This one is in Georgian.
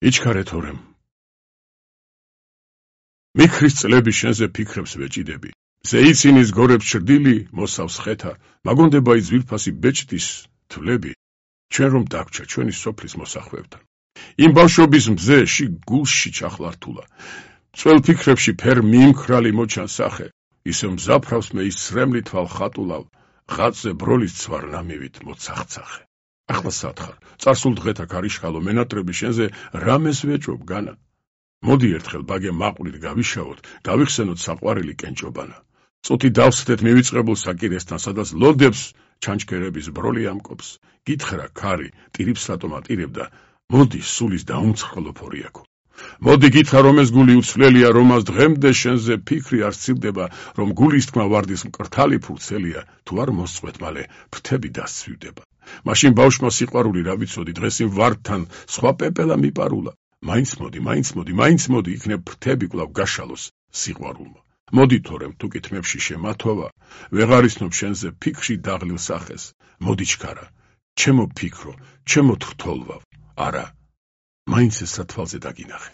იჩქარე თორემ. მიქრის წლები შენზე ფიქრებს ვეჭიდები. ზეიცინის გორებს ჩრდილი, მოსავს ხეთა, მაგონდება ის ძვირფასი ბეჭდის თვლები, ჩვენ რომ დაგვრჩა ჩვენი სოფლის მოსახვევთან. იმ ბავშვობის მზეში გულში ჩახლართულა. წველ ფიქრებში ფერ მიიმქრალი მოჩან სახე, ისევ მზაფრავს მე ის სრემლი თვალ ხატულავ, ღაწზე ბროლის ცვარ ნამივით მოცახცახე. ახლა სათხარ, წარსულ დღეთა ქარიშხალო მენატრები შენზე რამეს ვეჭობ განა. მოდი ერთხელ ბაგე მაყვრით გავიშავოთ, გავიხსენოთ საყვარელი კენჭობანა. წუთი დავსდეთ მივიწყებულ საკირესთან, სადაც ლოდებს ჩანჩქერების ბროლი ამკობს. გითხრა ქარი, ტირიფს რატომ ატირებდა, მოდი სულის დაუმცხრელო ფორიაქო. მოდი გითხრა რომ ეს გული უცვლელია, რომას დღემდე შენზე ფიქრი არ სცილდება, რომ გულის თქმა ვარდის მკრთალი ფურცელია, თუ არ მოსწყვეთ მალე ფრთები დასცვივდება. მაშინ ბავშვმა სიყვარული რა ვიცოდი, დღეს იმ ვარდთან სხვა პეპელა მიპარულა. მაინც მოდი, იქნებ ფრთები კვლავ გაშალოს სიყვარულმა. მოდი თორემ თუ კითხვებში შემათოვა, ვეღარ ისნობ შენზე ფიქრში დაღლილ სახეს. მოდი ჩქარა, ჩემო ფიქრო, ჩემო თრთოლვავ, არა, მაინც ეს რა თვალზე დაგინახე.